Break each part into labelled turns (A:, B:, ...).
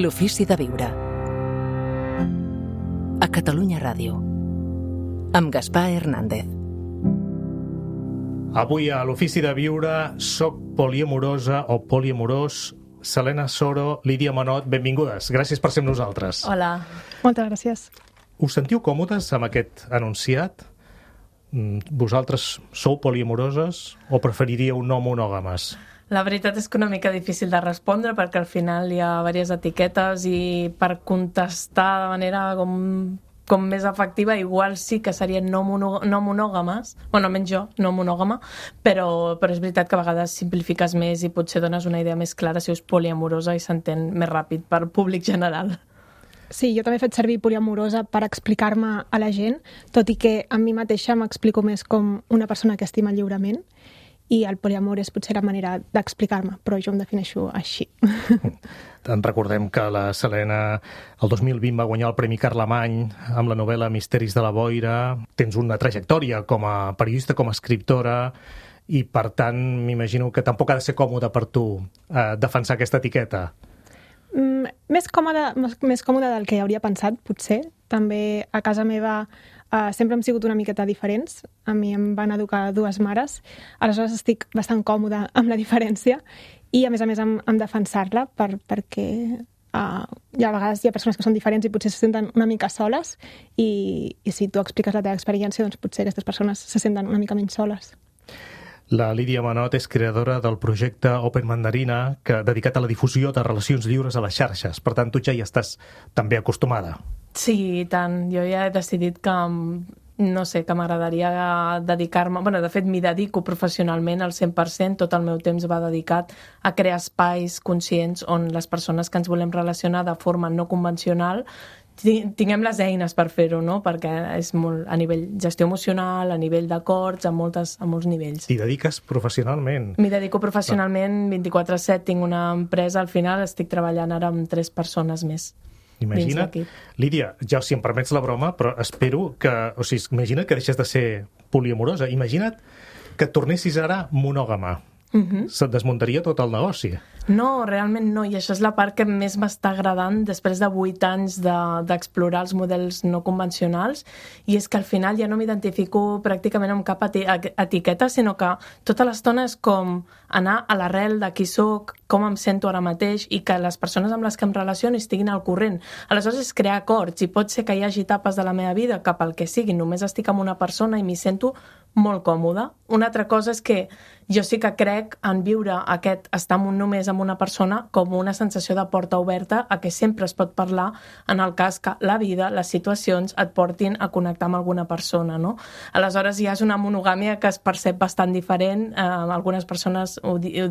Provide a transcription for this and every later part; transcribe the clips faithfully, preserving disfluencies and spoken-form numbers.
A: L'ofici de viure. A Catalunya Ràdio. Amb Gaspar Hernández.
B: Avui a l'ofici de viure soc poliamorosa o poliamorós. Selena Soro, Lídia Manot, benvingudes. Gràcies per ser amb nosaltres.
C: Hola.
D: Moltes gràcies.
B: Us sentiu còmodes amb aquest enunciat? Vosaltres sou poliamoroses o preferiríeu no monògames?
C: La veritat és que una mica difícil de respondre perquè al final hi ha diverses etiquetes i per contestar de manera com, com més efectiva igual sí que serien no, mono, no monògames, bueno, almenys jo, no monògama, però, però és veritat que a vegades simplifiques més i potser dones una idea més clara si és poliamorosa i s'entén més ràpid per públic general.
D: Sí, jo també he fet servir poliamorosa per explicar-me a la gent, tot i que a mi mateixa m'explico més com una persona que estima lliurement, i el poliamor és potser la manera d'explicar-me, però jo em defineixo així.
B: En recordem que la Selena el dos mil vint va guanyar el Premi Carlemany amb la novel·la Misteris de la Boira. Tens una trajectòria com a periodista, com a escriptora, i per tant m'imagino que tampoc ha de ser còmode per tu eh, defensar aquesta etiqueta.
D: Mm, més còmode, més còmode del que hauria pensat, potser. També a casa meva uh, sempre hem sigut una miqueta diferents. A mi em van educar dues mares. Aleshores estic bastant còmoda amb la diferència i, a més a més, amb, amb defensar-la per, perquè uh, hi ha, a vegades hi ha persones que són diferents i potser se senten una mica soles i, i si tu expliques la teva experiència, doncs potser aquestes persones se senten una mica menys soles.
B: La Lídia Manot és creadora del projecte Open Mandarina, que dedicat a la difusió de relacions lliures a les xarxes. Per tant, tu ja hi estàs també acostumada.
C: Sí, i tant. Jo ja he decidit que, no sé, que m'agradaria dedicar-me... Bueno, de fet, m'hi dedico professionalment al cent per cent. Tot el meu temps va dedicat a crear espais conscients on les persones que ens volem relacionar de forma no convencional tinguem les eines per fer-ho, no? Perquè és molt a nivell gestió emocional, a nivell d'acords, a, moltes, a molts nivells.
B: T'hi dediques professionalment?
C: M'hi dedico professionalment, vint-i-quatre set, tinc una empresa, al final estic treballant ara amb tres persones més.
B: Imagina't, Lídia, ja si em permets la broma, però espero que, o sigui, imagina't que deixes de ser poliamorosa, imagina't que tornessis ara monògama. Uh-huh. Se't desmuntaria tot el negoci.
C: No, realment no, i això és la part que més m'està agradant després de vuit anys de, d'explorar els models no convencionals, i és que al final ja no m'identifico pràcticament amb cap eti- etiqueta, sinó que tota l'estona és com anar a l'arrel de qui soc, com em sento ara mateix, i que les persones amb les que em relaciono estiguin al corrent. Aleshores és crear acords, i pot ser que hi hagi etapes de la meva vida que pel que sigui només estic amb una persona i m'hi sento molt còmoda. Una altra cosa és que jo sí que crec en viure aquest estar només amb una persona com una sensació de porta oberta a que sempre es pot parlar en el cas que la vida, les situacions et portin a connectar amb alguna persona, no? Aleshores ja és una monogàmia que es percep bastant diferent. Eh, algunes persones ho, ho,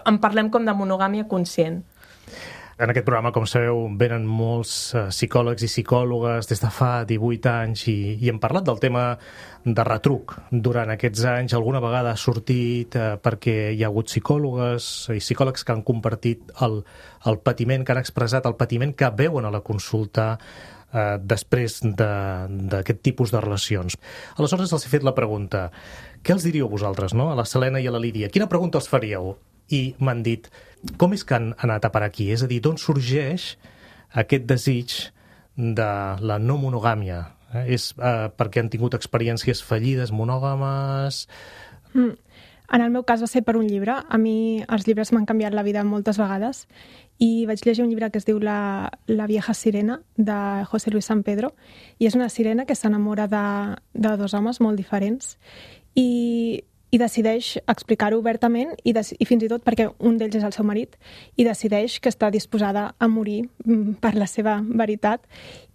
C: en parlem com de monogàmia conscient.
B: En aquest programa, com sabeu, venen molts uh, psicòlegs i psicòlogues des de fa divuit anys i, i hem parlat del tema de retruc. Durant aquests anys alguna vegada ha sortit uh, perquè hi ha hagut psicòlogues i psicòlegs que han compartit el, el patiment, que han expressat el patiment que veuen a la consulta uh, després de, d'aquest tipus de relacions. Aleshores els he fet la pregunta, què els diríeu vosaltres, no? A la Selena i a la Lídia? Quina pregunta els faríeu? I m'han dit, com és que han anat a parar aquí? És a dir, d'on sorgeix aquest desig de la no monogàmia? Eh? És eh, perquè han tingut experiències fallides monògames?
D: Mm. En el meu cas va ser per un llibre. A mi els llibres m'han canviat la vida moltes vegades i vaig llegir un llibre que es diu La, la vieja sirena, de José Luis San Pedro, i és una sirena que s'enamora de, de dos homes molt diferents i i decideix explicar-ho obertament i, de, i fins i tot perquè un d'ells és el seu marit i decideix que està disposada a morir per la seva veritat.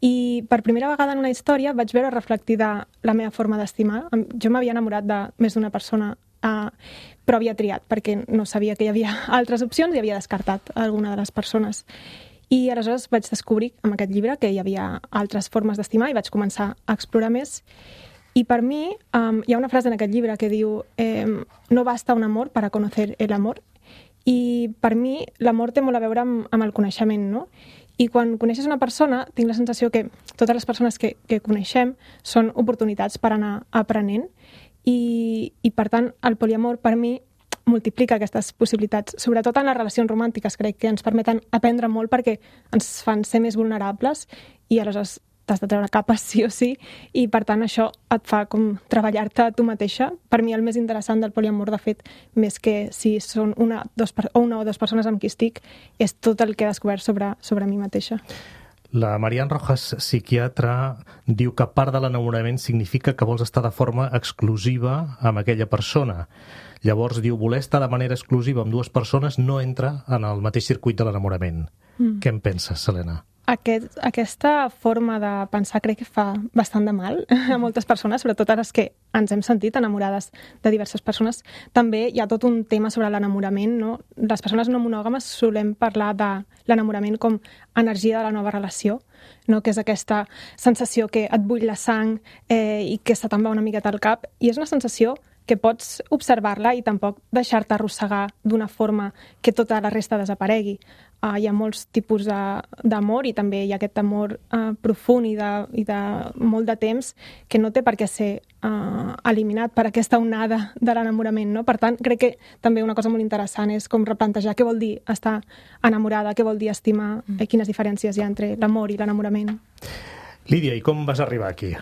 D: I per primera vegada en una història vaig veure reflectida la meva forma d'estimar. Jo m'havia enamorat de més d'una persona, eh, però havia triat perquè no sabia que hi havia altres opcions i havia descartat alguna de les persones. I aleshores vaig descobrir amb aquest llibre que hi havia altres formes d'estimar i vaig començar a explorar més. I per mi um, hi ha una frase en aquest llibre que diu eh, no basta un amor para conocer el amor. I per mi l'amor té molt a veure amb, amb el coneixement, no? I quan coneixes una persona tinc la sensació que totes les persones que, que coneixem són oportunitats per anar aprenent i, i per tant el poliamor per mi multiplica aquestes possibilitats, sobretot en les relacions romàntiques. Crec que ens permeten aprendre molt perquè ens fan ser més vulnerables i aleshores t'has de treure capes sí o sí, i per tant això et fa com treballar-te a tu mateixa. Per mi el més interessant del poliamor, de fet, més que si són una, dos, o una o dues persones amb qui estic, és tot el que he descobert sobre, sobre mi mateixa.
B: La Marian Rojas, psiquiatra, diu que part de l'enamorament significa que vols estar de forma exclusiva amb aquella persona. Llavors, diu, voler estar de manera exclusiva amb dues persones no entra en el mateix circuit de l'enamorament. Mm. Què en penses, Helena?
D: Aquest, aquesta forma de pensar crec que fa bastant de mal a moltes persones, sobretot a les que ens hem sentit enamorades de diverses persones. També hi ha tot un tema sobre l'enamorament, no? Les persones no monògames solem parlar de l'enamorament com energia de la nova relació, no? Que és aquesta sensació que et bull la sang eh, i que se te'n va una miqueta al cap, i és una sensació que pots observar-la i tampoc deixar-te arrossegar d'una forma que tota la resta desaparegui. Uh, hi ha molts tipus d'amor i també hi ha aquest amor uh, profund i de, i de molt de temps que no té per què ser uh, eliminat per aquesta onada de l'enamorament, no? Per tant, crec que també una cosa molt interessant és com replantejar què vol dir estar enamorada, què vol dir estimar, mm. eh, quines diferències hi ha entre l'amor i l'enamorament.
B: Lídia, i com vas arribar aquí?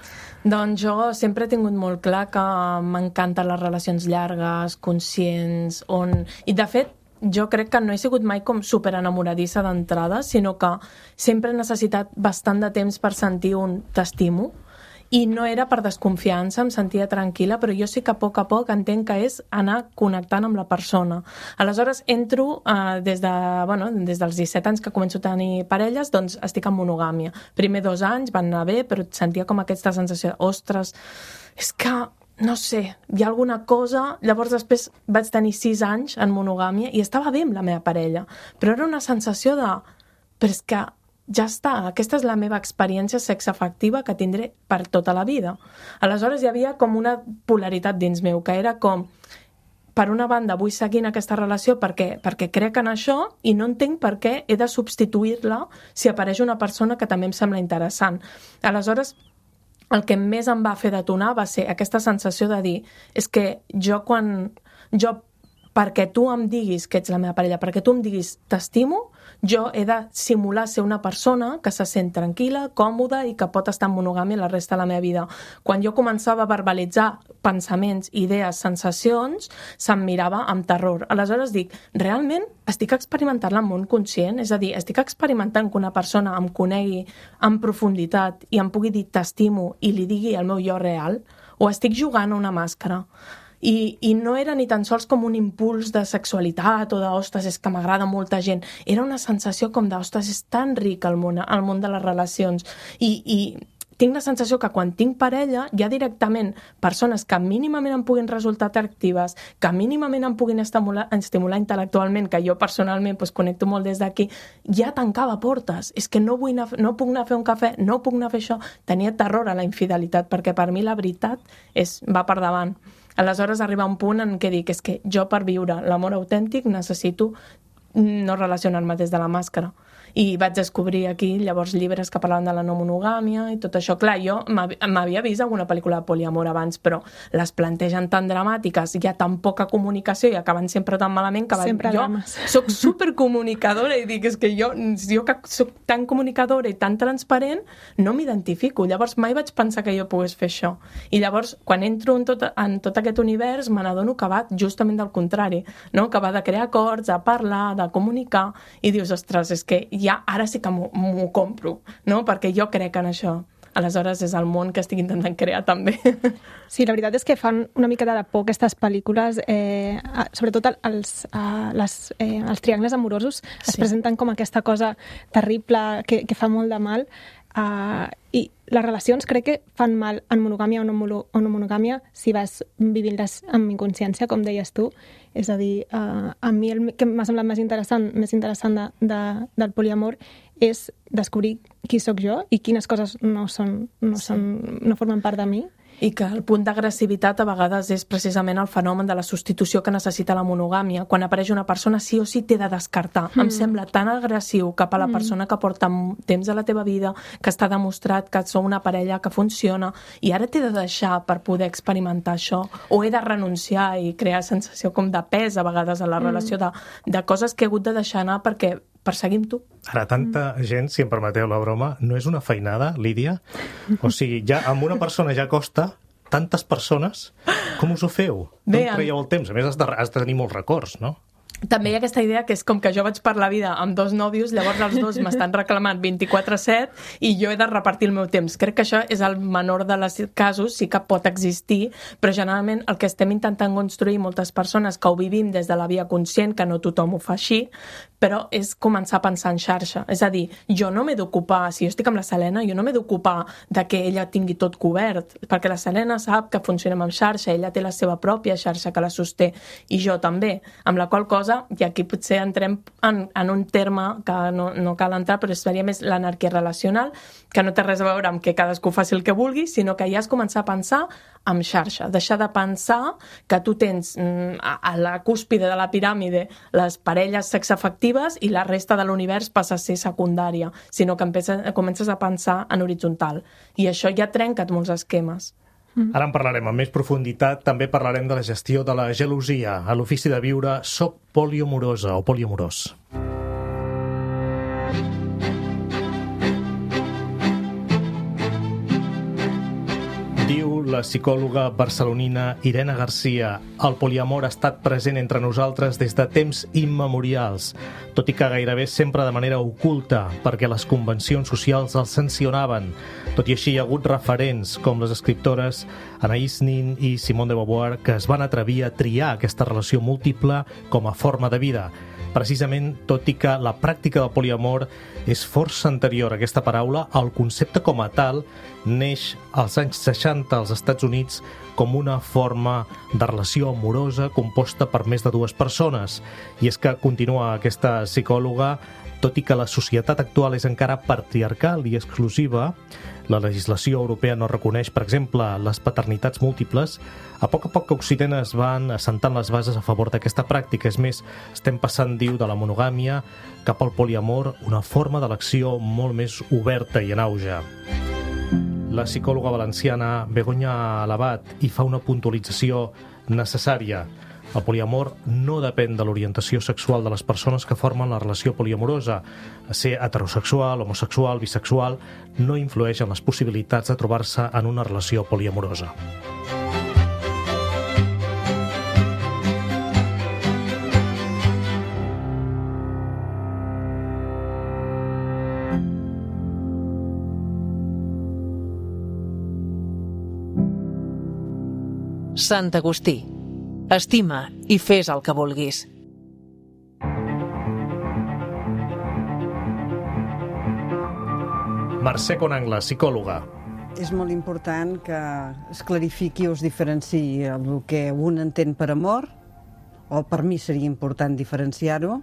C: Doncs jo sempre he tingut molt clar que m'encanten les relacions llargues, conscients, on... I de fet, jo crec que no he sigut mai com super enamoradissa d'entrada, sinó que sempre he necessitat bastant de temps per sentir un t'estimo, i no era per desconfiança, em sentia tranquil·la, però jo sí que a poc a poc entenc que és anar connectant amb la persona. Aleshores entro eh, des, de, bueno, des dels disset anys que començo a tenir parelles, doncs estic en monogàmia. Primer dos anys van anar bé, però sentia com aquesta sensació, ostres, és que no sé, hi ha alguna cosa... Llavors després vaig tenir sis anys en monogàmia i estava bé amb la meva parella, però era una sensació de... Però és que ja està, aquesta és la meva experiència sexoafectiva que tindré per tota la vida. Aleshores hi havia com una polaritat dins meu, que era com... Per una banda, vull seguir en aquesta relació perquè, perquè crec en això i no entenc per què he de substituir-la si apareix una persona que també em sembla interessant. Aleshores, el que més em va fer detonar va ser aquesta sensació de dir és que jo quan... jo perquè tu em diguis que ets la meva parella, perquè tu em diguis t'estimo, jo he de simular ser una persona que se sent tranquil·la, còmoda i que pot estar en monogàmia la resta de la meva vida. Quan jo començava a verbalitzar pensaments, idees, sensacions, se'm mirava amb terror. Aleshores dic, realment estic experimentant el món conscient? És a dir, estic experimentant que una persona em conegui en profunditat i em pugui dir t'estimo i li digui el meu jo real? O estic jugant a una màscara? I, i no era ni tan sols com un impuls de sexualitat o de, ostres, és que m'agrada molta gent. Era una sensació com de, ostres, és tan ric el món, el món de les relacions. I, i tinc la sensació que quan tinc parella hi ha directament persones que mínimament em puguin resultar atractives, que mínimament em puguin estimular, estimular intel·lectualment, que jo personalment pues, connecto molt des d'aquí, ja tancava portes. És que no, vull anar, no puc anar a fer un cafè, no puc anar a fer això. Tenia terror a la infidelitat, perquè per mi la veritat és, va per davant. Aleshores arriba un punt en què dic és que jo per viure l'amor autèntic necessito no relacionar-me des de la màscara. I vaig descobrir aquí llavors llibres que parlaven de la no monogàmia i tot això. Clar, jo m'havia vist alguna pel·lícula de poliamor abans, però les plantegen tan dramàtiques, hi ha tan poca comunicació i acaben sempre tan malament que
D: sempre
C: jo
D: drames.
C: Soc supercomunicadora i dic, és que jo, jo que soc tan comunicadora i tan transparent no m'identifico. Llavors mai vaig pensar que jo pogués fer això. I llavors, quan entro en tot, en tot aquest univers, me n'adono que va justament del contrari, no? Que va de crear acords, de parlar, de comunicar, i dius, ostres, és que ja ara sí que m'ho compro, no? Perquè jo crec en això. Aleshores és el món que estic intentant crear també.
D: Sí, la veritat és que fan una mica de por aquestes pel·lícules, eh, sobretot els, eh, les, eh, els triangles amorosos es sí. presenten com aquesta cosa terrible que, que fa molt de mal. Uh, i les relacions crec que fan mal en monogàmia o no, o no monogàmia si vas vivint-les amb inconsciència, com deies tu. És a dir, uh, a mi el que m'ha semblat més interessant, més interessant de, de, del poliamor és descobrir qui sóc jo i quines coses no, són, no, són, no formen part de mi.
C: I que el punt d'agressivitat a vegades és precisament el fenomen de la substitució que necessita la monogàmia. Quan apareix una persona sí o sí t'he de descartar. Mm. Em sembla tan agressiu cap a la persona que porta temps a la teva vida, que està demostrat que sou una parella que funciona, i ara t'he de deixar per poder experimentar això, o he de renunciar i crear sensació com de pes a vegades a la relació, de, de coses que he hagut de deixar anar perquè perseguim tu.
B: Ara, tanta mm. gent, si em permeteu la broma, no és una feinada, Lídia? O sigui, ja amb una persona ja costa, tantes persones, com us ho feu?
C: Bé,
B: Com traieu el temps? A més, has de, has de tenir molts records, no?
C: També hi ha aquesta idea que és com que jo vaig per la vida amb dos nòvios, llavors els dos m'estan reclamant vint-i-quatre set i jo he de repartir el meu temps. Crec que això és el menor dels casos, sí que pot existir, però generalment el que estem intentant construir moltes persones que ho vivim des de la via conscient, que no tothom ho fa així, però és començar a pensar en xarxa. És a dir, jo no m'he d'ocupar, si jo estic amb la Selena, jo no m'he d'ocupar de que ella tingui tot cobert, perquè la Selena sap que funcionem amb xarxa, ella té la seva pròpia xarxa que la sosté, i jo també, amb la qual cosa, i aquí potser entrem en, en un terme que no, no cal entrar, però seria més l'anarquia relacional, que no té res a veure amb que cadascú faci el que vulgui, sinó que ja has començat a pensar amb xarxa, deixar de pensar que tu tens mm, a, a la cúspide de la piràmide les parelles sexafectives i la resta de l'univers passa a ser secundària, sinó que empeces, comences a pensar en horitzontal. I això ja trenca molts esquemes.
B: Ara en parlarem amb més profunditat, també parlarem de la gestió de la gelosia. A l'Ofici de Viure soc poliamorosa o poliamorós. Diu la psicòloga barcelonina Irene Garcia: el poliamor ha estat present entre nosaltres des de temps immemorials, tot i que gairebé sempre de manera oculta, perquè les convencions socials els sancionaven. Tot i així hi ha hagut referents com les escriptores Anaïs Nin i Simone de Beauvoir que es van atrevir a triar aquesta relació múltiple com a forma de vida. Precisament, tot i que la pràctica del poliamor és força anterior a aquesta paraula, el concepte com a tal neix als anys seixanta als Estats Units com una forma de relació amorosa composta per més de dues persones. I és que, continua aquesta psicòloga, tot i que la societat actual és encara patriarcal i exclusiva, la legislació europea no reconeix, per exemple, les paternitats múltiples, a poc a poc que Occident es van assentant les bases a favor d'aquesta pràctica. És més, estem passant, diu, de la monogàmia cap al poliamor, una forma d'elecció molt més oberta i en auge. La psicòloga valenciana Begoña Alabat hi fa una puntualització necessària. El poliamor no depèn de l'orientació sexual de les persones que formen la relació poliamorosa. Ser heterosexual, homosexual, bisexual no influeix en les possibilitats de trobar-se en una relació poliamorosa.
A: Sant Agustí. Estima i fes el que vulguis.
B: Mercè Conangla, psicòloga.
E: És molt important que es clarifiqui o es diferenciï el que un entén per amor, o per mi seria important diferenciar-ho,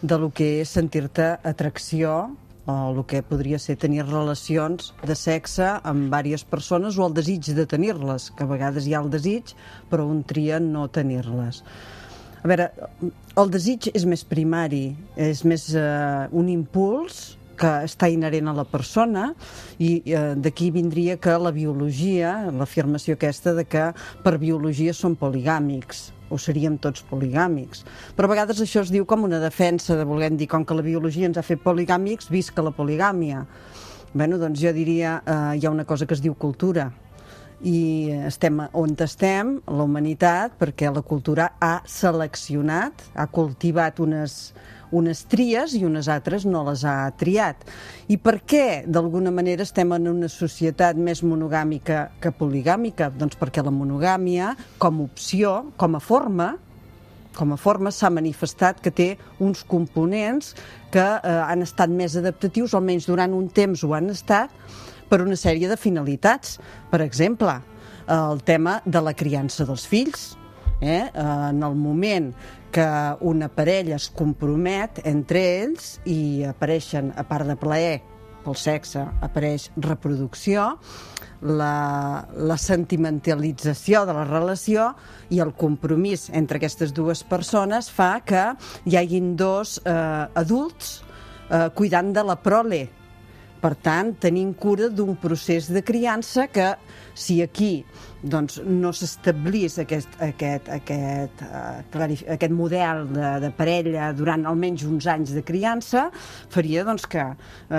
E: de lo que és sentir-te atracció o el que podria ser tenir relacions de sexe amb diverses persones o el desig de tenir-les, que a vegades hi ha el desig, però un tria no tenir-les. A veure, el desig és més primari, és més eh, un impuls que està inherent a la persona i eh, d'aquí vindria que la biologia, l'afirmació aquesta de que per biologia són poligàmics, o seríem tots poligàmics. Però a vegades això es diu com una defensa de voler dir com que la biologia ens ha fet poligàmics, visca la poligàmia. Bé, doncs jo diria, eh, hi ha una cosa que es diu cultura i estem on estem, la humanitat, perquè la cultura ha seleccionat, ha cultivat unes, unes tries i unes altres no les ha triat. I per què, d'alguna manera, estem en una societat més monogàmica que poligàmica? Doncs perquè la monogàmia, com a opció, com a forma, com a forma s'ha manifestat que té uns components que eh, han estat més adaptatius, almenys durant un temps ho han estat, per una sèrie de finalitats. Per exemple, el tema de la criança dels fills. Eh? En el moment que una parella es compromet entre ells i apareixen, a part de plaer, pel sexe apareix reproducció, la, la sentimentalització de la relació i el compromís entre aquestes dues persones fa que hi hagin dos eh, adults eh, cuidant de la prole. Per tant, tenim cura d'un procés de criança que, si aquí doncs, no s'establís aquest, aquest, aquest, uh, aquest model de, de parella durant almenys uns anys de criança, faria doncs, que uh,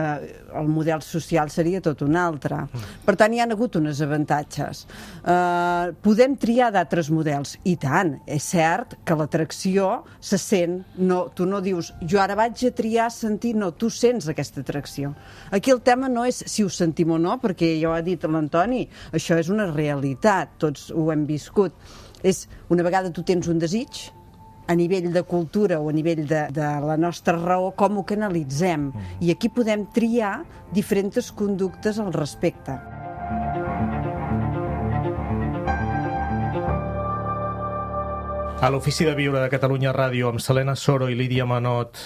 E: el model social seria tot un altre. Per tant, hi ha hagut uns avantatges. Uh, podem triar d'altres models, i tant. És cert que l'atracció se sent, no, tu no dius jo ara vaig a triar sentir, no, tu sents aquesta atracció. Aquí el tema no és si ho sentim o no, perquè ja ho ha dit l'Antoni, això és una realitat, tots ho hem viscut. És, una vegada tu tens un desig, a nivell de cultura o a nivell de, de la nostra raó, com ho canalitzem. I aquí podem triar diferents conductes al respecte.
B: A l'Ofici de Viure de Catalunya Ràdio, amb Selena Soro i Lídia Manot,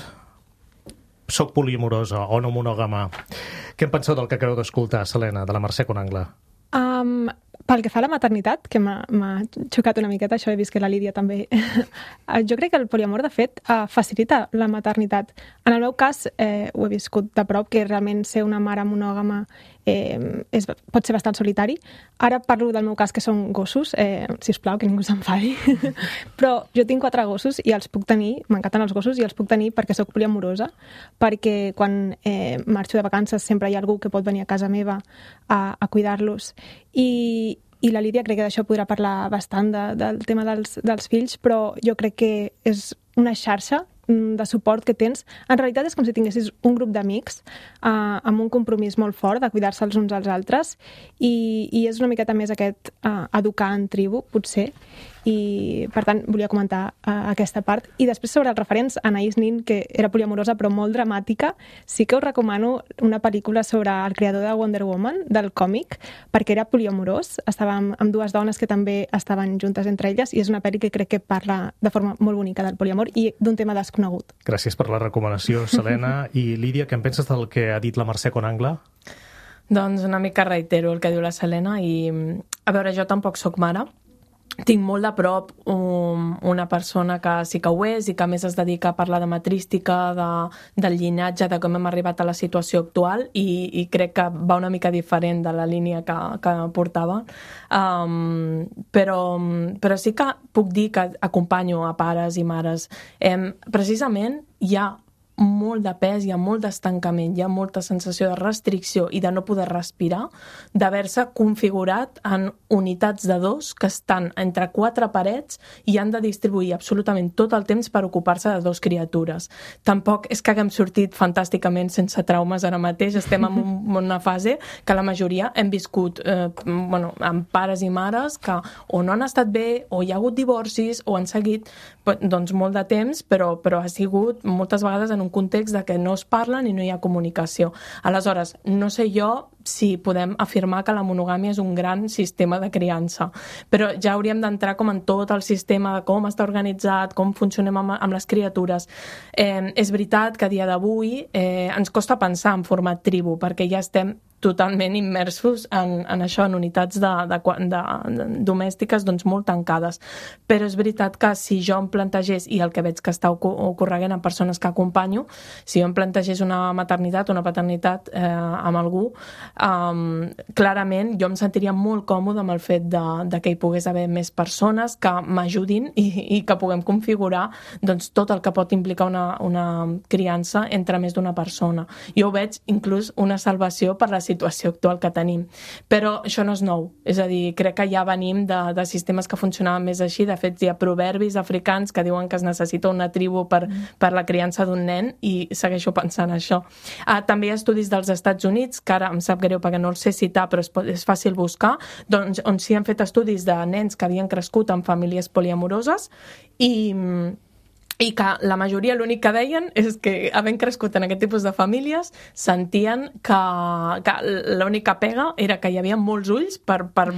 B: soc poliamorosa o no monògama. Què en penseu del que acabeu d'escoltar, Selena, de la Mercè Conangla?
D: Um, pel que fa a la maternitat, que m'ha xocat una miqueta, això he vist que la Lídia també... jo crec que el poliamor, de fet, uh, facilita la maternitat. En el meu cas, eh, ho he viscut de prop, que realment ser una mare monògama eh, és, pot ser bastant solitari. Ara parlo del meu cas, que són gossos, eh, sisplau, que ningú s'enfadi. Però jo tinc quatre gossos i els puc tenir, m'encanten els gossos, i els puc tenir perquè sóc poliamorosa, perquè quan eh, marxo de vacances sempre hi ha algú que pot venir a casa meva a, a cuidar-los. I, i la Lídia crec que d'això podrà parlar bastant de, del tema dels, dels fills, però jo crec que és una xarxa de suport que tens. En realitat és com si tinguessis un grup d'amics eh, amb un compromís molt fort de cuidar-se els uns als altres, i, i és una miqueta més aquest eh, educar en tribu, potser, i per tant volia comentar uh, aquesta part. I després sobre els referents, Anaïs Nin, que era poliamorosa però molt dramàtica, sí que us recomano una pel·lícula sobre el creador de Wonder Woman, del còmic, perquè era poliamorós, estava amb, amb dues dones que també estaven juntes entre elles, i és una pel·li que crec que parla de forma molt bonica del poliamor i d'un tema desconegut.
B: Gràcies per la recomanació, Selena. I Lídia, què en penses del que ha dit la Mercè Conangla?
C: Doncs una mica reitero el que diu la Selena, i a veure, jo tampoc sóc mare. Tinc molt de prop um, una persona que sí que ho és i que a més es dedica a parlar de matrística, de, del llinatge, de com hem arribat a la situació actual, i, i crec que va una mica diferent de la línia que, que portava. Um, però, però sí que puc dir que acompanyo a pares i mares. Um, precisament hi ha molt de pes, hi ha molt d'estancament, hi ha molta sensació de restricció i de no poder respirar, d'haver-se configurat en unitats de dos que estan entre quatre parets i han de distribuir absolutament tot el temps per ocupar-se de dos criatures. Tampoc és que haguem sortit fantàsticament sense traumes ara mateix, estem en una fase que la majoria hem viscut eh, bueno, amb pares i mares que o no han estat bé, o hi ha hagut divorcis, o han seguit doncs, molt de temps, però, però ha sigut moltes vegades en un context de que no es parlen i no hi ha comunicació. Aleshores, no sé jo si podem afirmar que la monogàmia és un gran sistema de criança, però ja hauríem d'entrar com en tot el sistema de com està organitzat, com funcionem amb, amb les criatures. Eh, és veritat que a dia d'avui eh, ens costa pensar en format tribu, perquè ja estem totalment immersos en, en això, en unitats de, de, de, de, domèstiques doncs molt tancades. Però és veritat que si jo em plantegés, i el que veig que està ocorreguent en persones que acompanyo, si jo em plantegés una maternitat o una paternitat eh, amb algú, um, clarament jo em sentiria molt còmode amb el fet de, de que hi pogués haver més persones que m'ajudin i, i que puguem configurar doncs, tot el que pot implicar una, una criança entre més d'una persona. Jo ho veig inclús una salvació per la situació actual que tenim. Però això no és nou. És a dir, crec que ja venim de, de sistemes que funcionaven més així. De fet, hi ha proverbis africans que diuen que es necessita una tribu per, per la criança d'un nen, i segueixo pensant això. Ah, també hi ha estudis dels Estats Units, que ara em sap greu perquè no els sé citar, però és, és fàcil buscar, doncs, on s'hi han fet estudis de nens que havien crescut en famílies poliamoroses i... i que la majoria l'únic que deien és que, havent crescut en aquest tipus de famílies, sentien que, que l'única pega era que hi havia molts ulls per, per,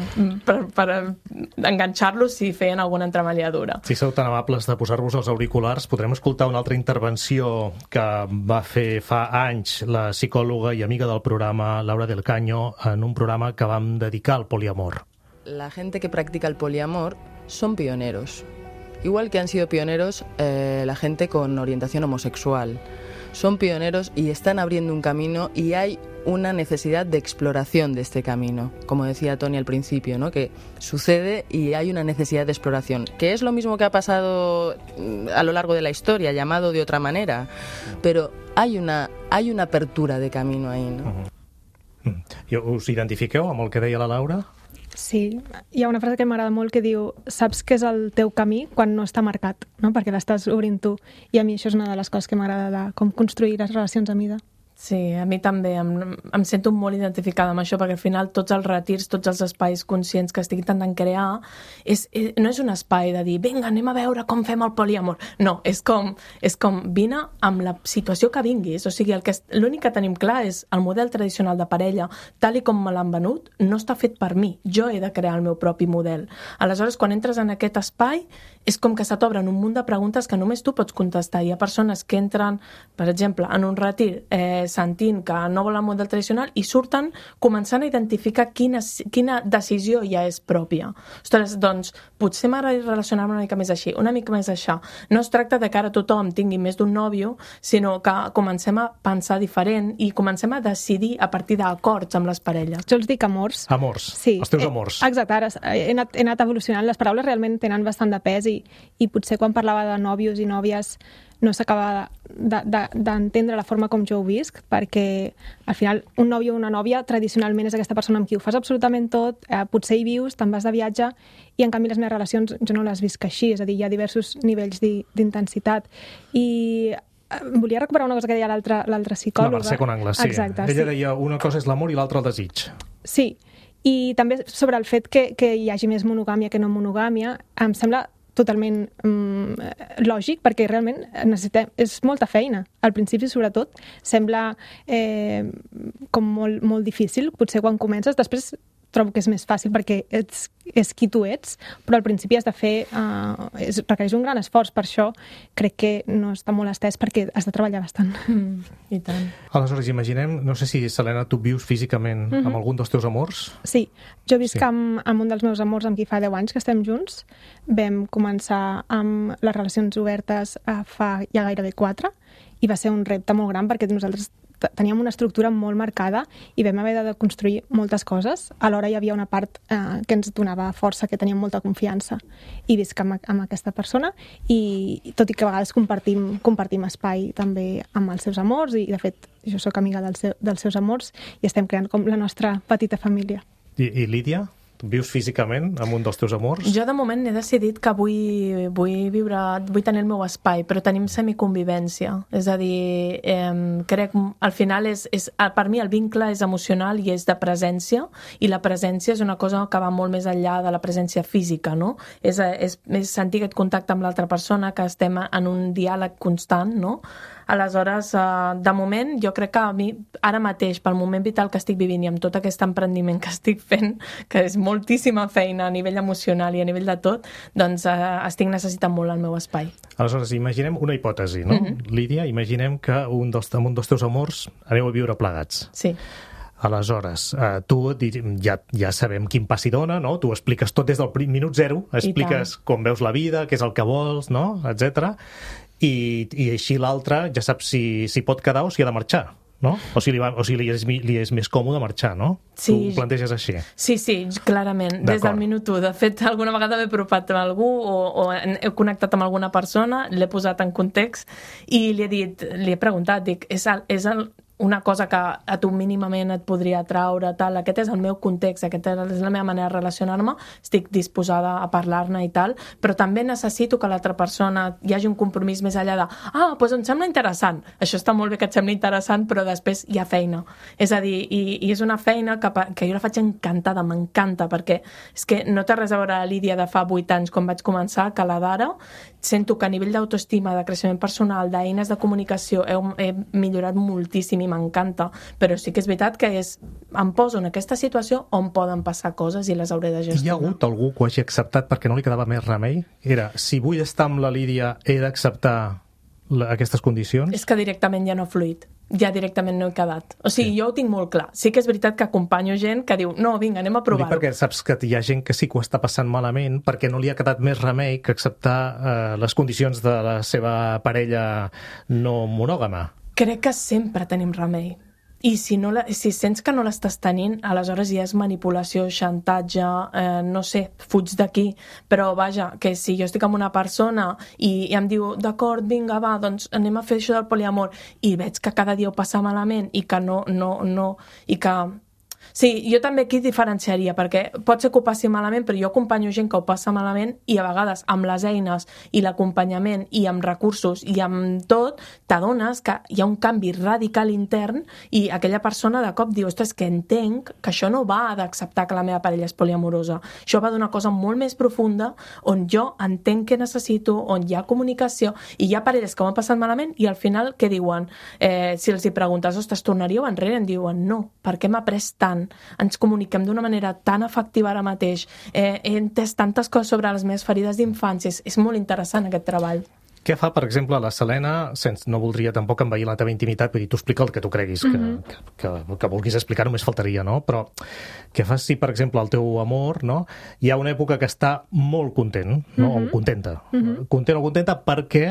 C: per, per enganxar-los si feien alguna entremaliadura.
B: Si sou tan amables de posar-vos els auriculars, podrem escoltar una altra intervenció que va fer fa anys la psicòloga i amiga del programa Laura del Caño en un programa que vam dedicar al poliamor.
F: La gente que practica el poliamor son pioneros. Igual que han sido pioneros eh, la gente con orientación homosexual. Son pioneros y están abriendo un camino y hay una necesidad de exploración de este camino. Como decía Tony al principio, ¿no? Que sucede y hay una necesidad de exploración. Que es lo mismo que ha pasado a lo largo de la historia, llamado de otra manera. Pero hay una, hay una apertura de camino ahí, ¿no?
B: Uh-huh. Us identifiqueu amb el que deia la Laura?
D: Sí, hi ha una frase que m'agrada molt que diu saps què és el teu camí quan no està marcat, no? Perquè l'estàs obrint tu. I a mi això és una de les coses que m'agrada de com construir les relacions a mida.
C: Sí, a mi també. Em, em sento molt identificada amb això, perquè al final tots els retirs, tots els espais conscients que estic intentant crear, és, és, no és un espai de dir, vinga, anem a veure com fem el poliamor. No, és com, és com vine amb la situació que vinguis. O sigui, el que l'únic que tenim clar és el model tradicional de parella, tal i com me l'han venut, no està fet per mi. Jo he de crear el meu propi model. Aleshores, quan entres en aquest espai, és com que se t'obren un munt de preguntes que només tu pots contestar. Hi ha persones que entren, per exemple, en un retir, eh, sentint que no vol el model tradicional i surten començant a identificar quina, quina decisió ja és pròpia. Ostres, doncs, potser m'agrada relacionar-me una mica més així, una mica més això. No es tracta de que ara tothom tingui més d'un nòvio, sinó que comencem a pensar diferent i comencem a decidir a partir d'acords amb les parelles.
D: Jo els dic amors.
B: Amors,
D: sí.
B: Els teus amors.
D: Eh, exacte, ara he anat, he anat evolucionant. Les paraules realment tenen bastant de pes i, i potser quan parlava de nòvios i nòvies no s'acaba d'entendre de, de, la forma com jo ho visc, perquè al final un nòvio o una nòvia tradicionalment és aquesta persona amb qui ho fas absolutament tot, eh, potser hi vius, te'n vas de viatge, i en canvi les meves relacions jo no les visc així, és a dir, hi ha diversos nivells d'intensitat. I volia recuperar una cosa que deia l'altra psicòloga.
B: La Mercè Conangla, sí.
D: Exacte,
B: Ella
D: sí.
B: deia una cosa és l'amor i l'altra el desig.
D: Sí, i també sobre el fet que, que hi hagi més monogàmia que no monogàmia, em sembla totalment um, lògic, perquè realment necessitem, és molta feina. Al principi, sobretot, sembla eh, com molt, molt difícil, potser quan comences. Després trobo que és més fàcil perquè ets, és qui tu ets, però al principi has de fer, uh, és, requereix un gran esforç. Per això crec que no està molt estès, perquè has de treballar bastant.
C: Mm, I tant.
B: Aleshores, imaginem, no sé si, Selena, tu vius físicament mm-hmm. amb algun dels teus amors?
D: Sí, jo visc
B: sí.
D: amb, amb un dels meus amors amb qui fa deu anys que estem junts. Vam començar amb les relacions obertes uh, fa ja gairebé quatre, i va ser un repte molt gran perquè nosaltres teníem una estructura molt marcada i vam haver de construir moltes coses. Alhora hi havia una part eh, que ens donava força, que teníem molta confiança, i visc amb, amb aquesta persona, i tot i que a vegades compartim, compartim espai també amb els seus amors, i de fet jo sóc amiga dels, seu, dels seus amors, i estem creant com la nostra petita família.
B: I, i Lídia? Vius físicament amb un dels teus amors?
C: Jo de moment he decidit que vull, vull viure, vull tenir el meu espai, però tenim semiconvivència. És a dir, eh, crec al final és, és, per mi el vincle és emocional i és de presència, i la presència és una cosa que va molt més enllà de la presència física, no? És, és, és sentir aquest contacte amb l'altra persona, que estem en un diàleg constant, no? Aleshores, de moment, jo crec que a mi, ara mateix, pel moment vital que estic vivint i amb tot aquest emprendiment que estic fent, que és moltíssima feina a nivell emocional i a nivell de tot, doncs estic necessitant molt el meu espai.
B: Aleshores, imaginem una hipòtesi, no? Mm-hmm. Lídia, imaginem que un dels, un dels teus amors aneu a viure plegats.
C: Sí.
B: Aleshores, eh, tu ja, ja sabem quin pas hi dona, no? Tu expliques tot des del minut zero, expliques com veus la vida, què és el que vols, no? etcètera. I, i així l'altre ja sap si, si pot quedar o si ha de marxar, no? O si li, va, o si li, és, li és més còmode marxar, no?
C: Sí.
B: Tu ho planteges així.
C: Sí, sí, clarament, des del minut u. De fet, alguna vegada m'he apropat amb algú o, o he connectat amb alguna persona, l'he posat en context i li he dit, li he preguntat, dic, és el, és el, una cosa que a tu mínimament et podria atraure, tal, aquest és el meu context, aquesta és la meva manera de relacionar-me, estic disposada a parlar-ne i tal, però també necessito que l'altra persona hi hagi un compromís més enllà de ah, doncs em sembla interessant, això està molt bé que et sembli interessant, però després hi ha feina. És a dir, i, i és una feina que, que jo la faig encantada, m'encanta, perquè és que no té res a veure la Lídia de fa vuit anys quan vaig començar, que la d'ara sento que a nivell d'autoestima, de creixement personal, d'eines de comunicació he, he millorat moltíssim i m'encanta, però sí que és veritat que és, em poso en aquesta situació on poden passar coses i les hauré de gestionar.
B: Hi ha hagut algú que ho hagi acceptat perquè no li quedava més remei? Era, si vull estar amb la Lídia, he d'acceptar aquestes condicions?
C: És que directament ja no ha fluït. Ja directament no he quedat. O sigui, sí. Jo ho tinc molt clar. Sí que és veritat que acompanyo gent que diu no, vinga, anem a provar-ho.
B: Perquè saps que hi ha gent que sí que ho està passant malament perquè no li ha quedat més remei que acceptar eh, les condicions de la seva parella no monògama.
C: Crec que sempre tenim remei. I si, no la, si sents que no l'estàs tenint, aleshores ja és manipulació, xantatge, eh, no sé, fuig d'aquí. Però vaja, que si jo estic amb una persona i, i em diu, d'acord, vinga, va, doncs anem a fer això del poliamor, i veig que cada dia ho passa malament i que no, no, no, i que... Sí, jo també aquí diferenciaria, perquè pot ser que ho passi malament, però jo acompanyo gent que ho passa malament i a vegades amb les eines i l'acompanyament i amb recursos i amb tot, t'adones que hi ha un canvi radical intern i aquella persona de cop diu, ostres, que entenc que això no va d'acceptar que la meva parella és poliamorosa. Això va d'una cosa molt més profunda on jo entenc què necessito, on hi ha comunicació i hi ha parelles que ho han passat malament i al final què diuen? Eh, si els hi preguntes, ostres, tornaríeu enrere? Em diuen, no, perquè m'ha pres tant. Ens comuniquem d'una manera tan efectiva ara mateix, eh, he entès tantes coses sobre les meves ferides d'infància, és molt interessant aquest treball.
B: Què fa, per exemple, la Selena, sense, no voldria tampoc envair la teva intimitat, vull dir, tu explica el que tu creguis, que, mm-hmm. que, que, que vulguis explicar, només faltaria, no? Però què fas si, per exemple, el teu amor, no? Hi ha una època que està molt content, no? Mm-hmm. O contenta. Mm-hmm. Content o contenta perquè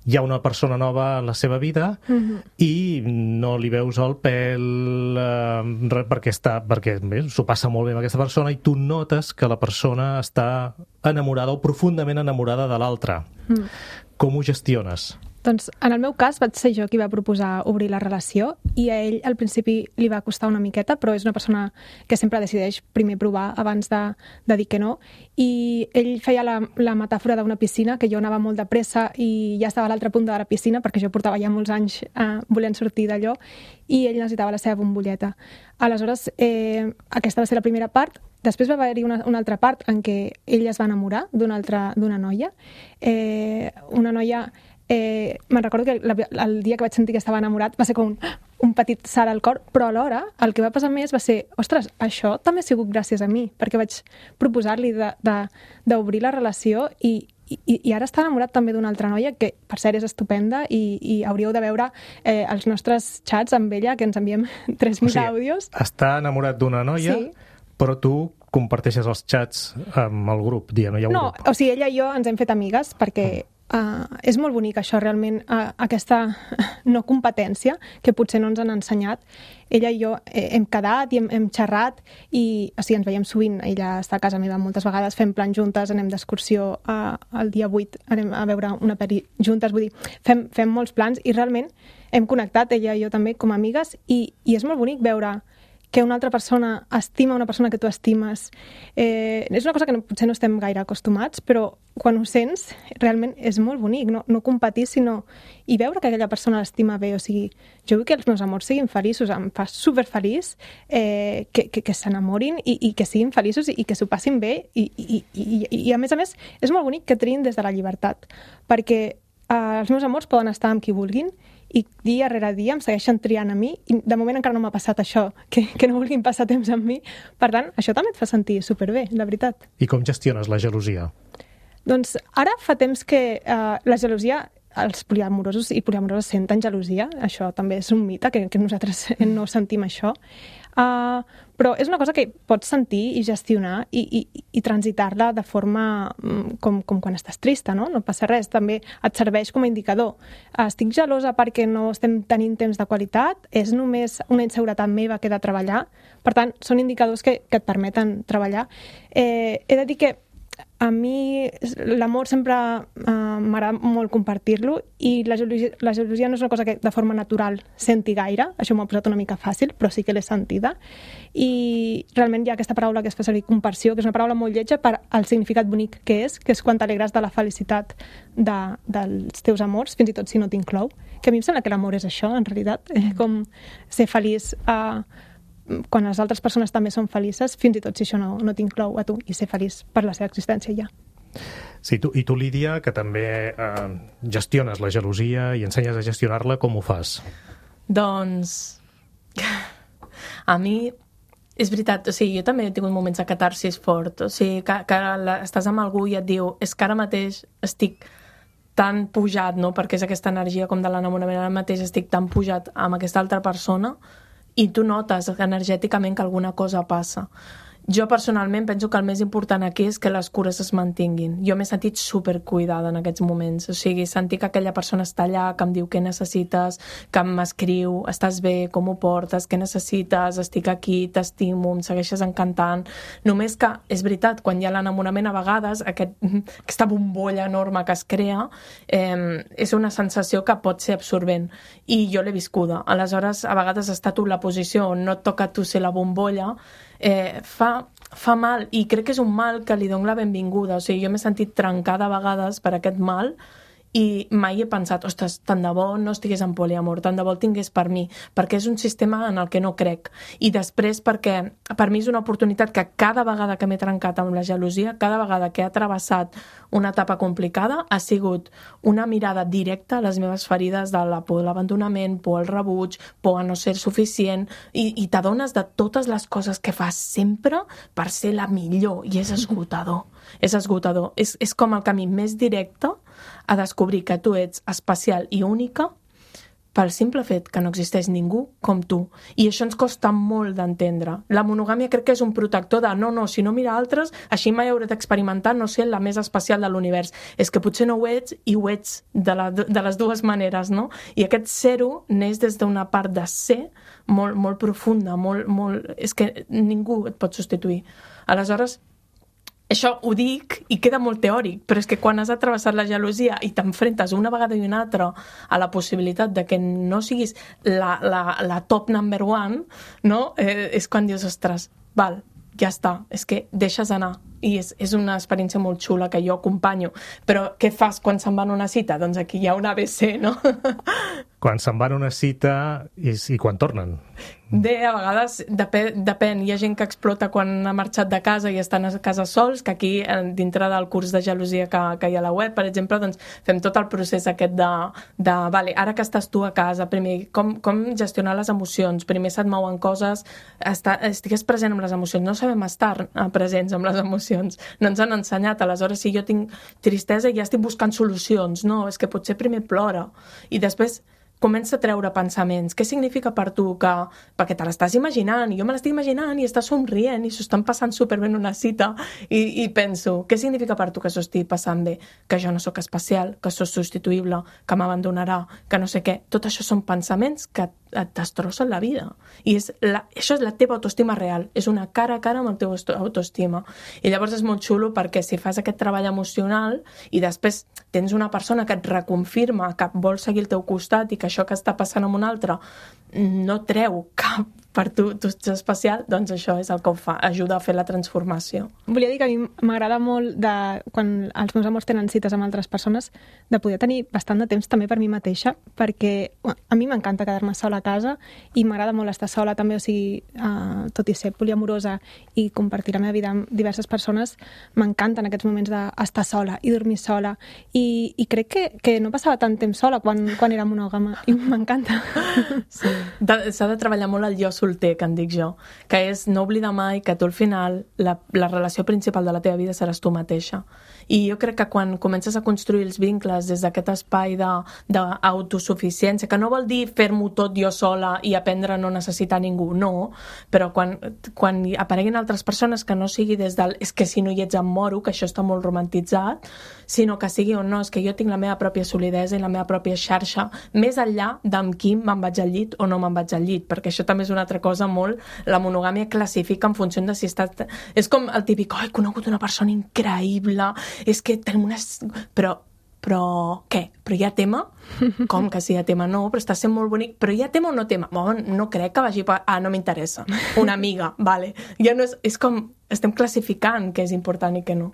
B: hi ha una persona nova en la seva vida mm-hmm. i no li veus el pèl eh, perquè està, perquè bé, s'ho passa molt bé amb aquesta persona i tu notes que la persona està enamorada o profundament enamorada de l'altra. Mm. Com ho gestiones?
D: Doncs en el meu cas vaig ser jo qui va proposar obrir la relació i a ell al principi li va costar una miqueta, però és una persona que sempre decideix primer provar abans de, de dir que no. I ell feia la, la metàfora d'una piscina, que jo anava molt de pressa i ja estava a l'altra punta de la piscina perquè jo portava ja molts anys eh, volent sortir d'allò i ell necessitava la seva bombolleta. Aleshores, eh, aquesta va ser la primera part. Després va haver-hi una, una altra part en què ell es va enamorar d'una altra d'una noia. Eh, una noia... Eh, me'n recordo que la, el dia que vaig sentir que estava enamorat va ser com un, un petit salt al cor, però alhora el que va passar més va ser, ostres, això també ha sigut gràcies a mi, perquè vaig proposar-li d'obrir la relació i, i, i ara està enamorat també d'una altra noia que per cert és estupenda i, i hauríeu de veure eh, els nostres xats amb ella, que ens enviem tres mil o sigui, àudios.
B: Està enamorat d'una noia, sí. Però tu comparteixes els xats amb el grup, diguem, hi ha un
D: no,
B: grup.
D: O sigui, ella i jo ens hem fet amigues perquè uh, és molt bonic això, realment, uh, aquesta no competència que potser no ens han ensenyat. Ella i jo eh, hem quedat i hem, hem xerrat i o sigui, ens veiem sovint. Ella està a casa meva moltes vegades, fem plans juntes, anem d'excursió uh, el dia vuit, anem a veure una pel·li juntes, vull dir, fem, fem molts plans i realment hem connectat, ella i jo també, com a amigues i, i és molt bonic veure que una altra persona estima una persona que tu estimes. Eh, és una cosa que no, potser no estem gaire acostumats, però quan ho sents, realment és molt bonic, no, no competir, sinó i veure que aquella persona l'estima bé. O sigui, jo vull que els meus amors siguin feliços, em fa superfeliç eh, que, que, que s'enamorin i, i que siguin feliços i, i que s'ho passin bé i, i, i, i, i a més a més és molt bonic que triïn des de la llibertat, perquè eh, els meus amors poden estar amb qui vulguin i dia rere dia em segueixen triant a mi i de moment encara no m'ha passat això, que, que no vulguin passar temps amb mi. Per tant, això també et fa sentir superbé, la veritat.
B: I com gestiones la gelosia?
D: Doncs ara fa temps que eh, la gelosia, els poliamorosos i poliamoroses senten gelosia, això també és un mite, que, que nosaltres no sentim això. Uh, però és una cosa que pots sentir i gestionar i, i, i transitar-la de forma com, com quan estàs trista, no? No passa res, també et serveix com a indicador. Uh, estic gelosa perquè no estem tenint temps de qualitat, és només una inseguretat meva que he de treballar, per tant, són indicadors que, que et permeten treballar. Eh, he de dir que a mi l'amor sempre uh, m'agrada molt compartir-lo i la gelosia, la gelosia no és una cosa que de forma natural senti gaire, això m'ho ha posat una mica fàcil, però sí que l'he sentida. I realment hi ha aquesta paraula que es fa servir, comparsió, que és una paraula molt lletja per al significat bonic que és, que és quan t'alegres de la felicitat de, dels teus amors, fins i tot si no t'inclou. Que a mi em sembla que l'amor és això, en realitat, eh, com ser feliç uh, quan les altres persones també són felices, fins i tot si això no, no t'inclou a tu, i ser feliç per la seva existència ja.
B: Sí, tu, i tu, Lídia, que també eh, gestiones la gelosia i ensenyes a gestionar-la, com ho fas?
C: Doncs, a mi, és veritat, o sigui, jo també he tingut moments de catarsis fort, o sigui, que, que la, estàs amb algú i et diu, és que ara mateix estic tan pujat, no?, perquè és aquesta energia com de l'enamorament, ara mateix estic tan pujat amb aquesta altra persona, i tu notes energèticament que alguna cosa passa. Jo personalment penso que el més important aquí és que les cures es mantinguin. Jo m'he sentit supercuidada en aquests moments, o sigui, sentir que aquella persona està allà, que em diu què necessites, que m'escriu, estàs bé, com ho portes, què necessites, estic aquí, t'estimo, em segueixes encantant. Només que, és veritat, quan hi ha l'enamorament a vegades, aquest, aquesta bombolla enorme que es crea, eh, és una sensació que pot ser absorbent, i jo l'he viscuda. Aleshores, a vegades has estat en la posició on no et toca a tu ser la bombolla, Eh, fa, fa mal, i crec que és un mal que li dono la benvinguda. O sigui, jo m'he sentit trencada a vegades per aquest mal i mai he pensat, ostres, tant de bo no estigués en poliamor, tant de bo el tingués per mi, perquè és un sistema en el que no crec. I després perquè per mi és una oportunitat que cada vegada que m'he trencat amb la gelosia, cada vegada que he travessat una etapa complicada, ha sigut una mirada directa a les meves ferides de la por de l'abandonament, por al rebuig, por a no ser suficient, i, i t'adones de totes les coses que fas sempre per ser la millor, i és esgotador. És esgotador. És, és com el camí més directe a descobrir que tu ets especial i única pel simple fet que no existeix ningú com tu. I això ens costa molt d'entendre. La monogàmia crec que és un protector de no, no, si no mira altres, així mai hauré d'experimentar no ser la més especial de l'univers. És que potser no ho ets i ho ets de, la, de les dues maneres, no? I aquest ser-ho neix des d'una part de ser molt, molt profunda, molt, molt... És que ningú et pot substituir. Aleshores, això ho dic i queda molt teòric, però és que quan has atravessat la gelosia i t'enfrentes una vegada i una altra a la possibilitat de que no siguis la, la, la top number one, no? Eh, és quan dius, ostres, val, ja està, és que deixes anar. I és, és una experiència molt xula que jo acompanyo. Però què fas quan se'n van a una cita? Doncs aquí hi ha un A B C, no?
B: Quan se'n van a una cita i, i quan tornen?
C: Bé, a vegades depèn, depèn. Hi ha gent que explota quan ha marxat de casa i estan a casa sols, que aquí, dintre del curs de gelosia que, que hi ha a la web, per exemple, doncs fem tot el procés aquest de, de vale, ara que estàs tu a casa, primer, com, com gestionar les emocions? Primer se't mouen coses, estar, estigues present amb les emocions. No sabem estar presents amb les emocions. No ens han ensenyat. Aleshores, si jo tinc tristesa i ja estic buscant solucions, no, és que potser primer plora i després comença a treure pensaments. Què significa per tu que... Perquè te l'estàs imaginant, i jo me l'estic imaginant, i estàs somrient, i s'ho estan passant superbé en una cita, i, i penso, què significa per tu que s'ho estigui passant bé? Que jo no sóc especial, que sóc substituïble, que m'abandonarà, que no sé què. Tot això són pensaments que et destrossen la vida. I és la, això és la teva autoestima real. És una cara a cara amb el teu autoestima. I llavors és molt xulo perquè si fas aquest treball emocional i després tens una persona que et reconfirma que vol seguir al teu costat i que això que està passant amb un altre no treu cap per tu, tu ets especial, doncs això és el que ho fa, ajuda a fer la transformació.
D: Volia dir que a mi m'agrada molt, de, quan els meus amors tenen cites amb altres persones, de poder tenir bastant de temps també per mi mateixa, perquè a mi m'encanta quedar-me sola a casa i m'agrada molt estar sola també, o sigui, uh, tot i ser poliamorosa i compartir la meva vida amb diverses persones, m'encanten aquests moments d'estar sola i dormir sola, i, i crec que, que no passava tant temps sola quan, quan era monògama, i m'encanta.
C: Sí. S'ha de treballar molt el jo solter, que en dic jo, que és no oblidar mai que tu al final la, la relació principal de la teva vida seràs tu mateixa I jo crec que quan comences a construir els vincles des d'aquest espai d'autosuficiència, que no vol dir fer-m'ho tot jo sola i aprendre a no necessitar ningú, no, però quan, quan apareguin altres persones que no sigui des del és que si no hi ets em moro, que això està molt romantitzat, sinó que sigui o no, és que jo tinc la meva pròpia solidesa i la meva pròpia xarxa, més enllà d'amb qui me'n vaig al llit o no me'n vaig al llit, perquè això també és una altra cosa molt, la monogàmia classifica en funció de si estàs... És com el típic, oh, he conegut una persona increïble, és que tenim una... Però, però què? Però hi ha tema? Com que sí hi ha tema? No, però està sent molt bonic. Però hi ha tema o no tema? Bon, no crec que vagi per... Ah, no m'interessa. Una amiga, vale. Ja no és... És com... Estem classificant què és important i què no.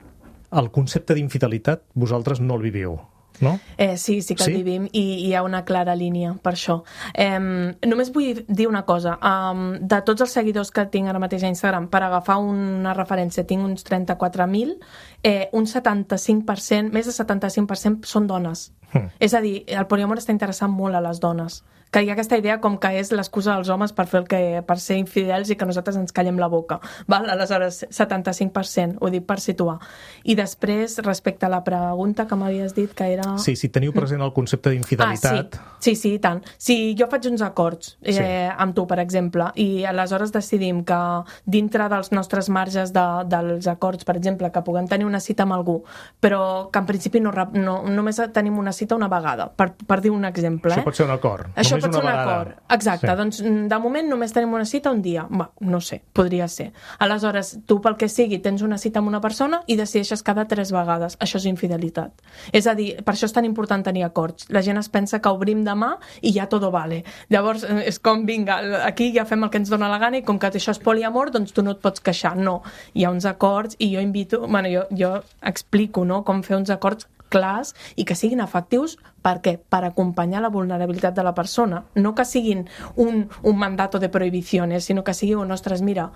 B: El concepte d'infidelitat vosaltres no el viviu, no?
C: Eh, sí, sí que el
B: sí?
C: vivim i hi ha una clara línia per això. Eh, només vull dir una cosa. Um, de tots els seguidors que tinc ara mateix a Instagram, per agafar una referència, tinc uns trenta-quatre mil, eh, un setanta-cinc per cent, més de setanta-cinc per cent són dones. Mm. És a dir, el poliamor està interessant molt a les dones. Que hi ha aquesta idea com que és l'excusa dels homes per fer el que, per ser infidels i que nosaltres ens callem la boca. Val? Aleshores, setanta-cinc per cent, ho dic per situar. I després, respecte a la pregunta que m'havies dit, que era...
B: Sí, si teniu present el concepte d'infidelitat...
C: Ah, sí. sí, sí, i tant. Si jo faig uns acords eh, sí. amb tu, per exemple, i aleshores decidim que dintre dels nostres marges de, dels acords, per exemple, que puguem tenir una cita amb algú, però que en principi no, no, només tenim una cita una vegada, per, per dir un exemple.
B: Això
C: eh?
B: pot ser un acord.
C: Això
B: Només
C: pot ser un
B: vegada.
C: acord. Exacte, sí. Doncs de moment només tenim una cita un dia. Va, no sé, podria ser. Aleshores, tu pel que sigui tens una cita amb una persona i decideixes cada tres vegades. Això és infidelitat. És a dir, per això és tan important tenir acords. La gent es pensa que obrim demà i ja todo vale. Llavors, és com, vinga, aquí ja fem el que ens dona la gana i com que això és poliamor, doncs tu no et pots queixar. No, hi ha uns acords i jo invito, bueno, jo, jo explico, no?, com fer uns acords clars i que siguin efectius. Per què? Per acompanyar la vulnerabilitat de la persona. No que siguin un, un mandato de prohibiciones, sinó que sigui, un, ostres, mira,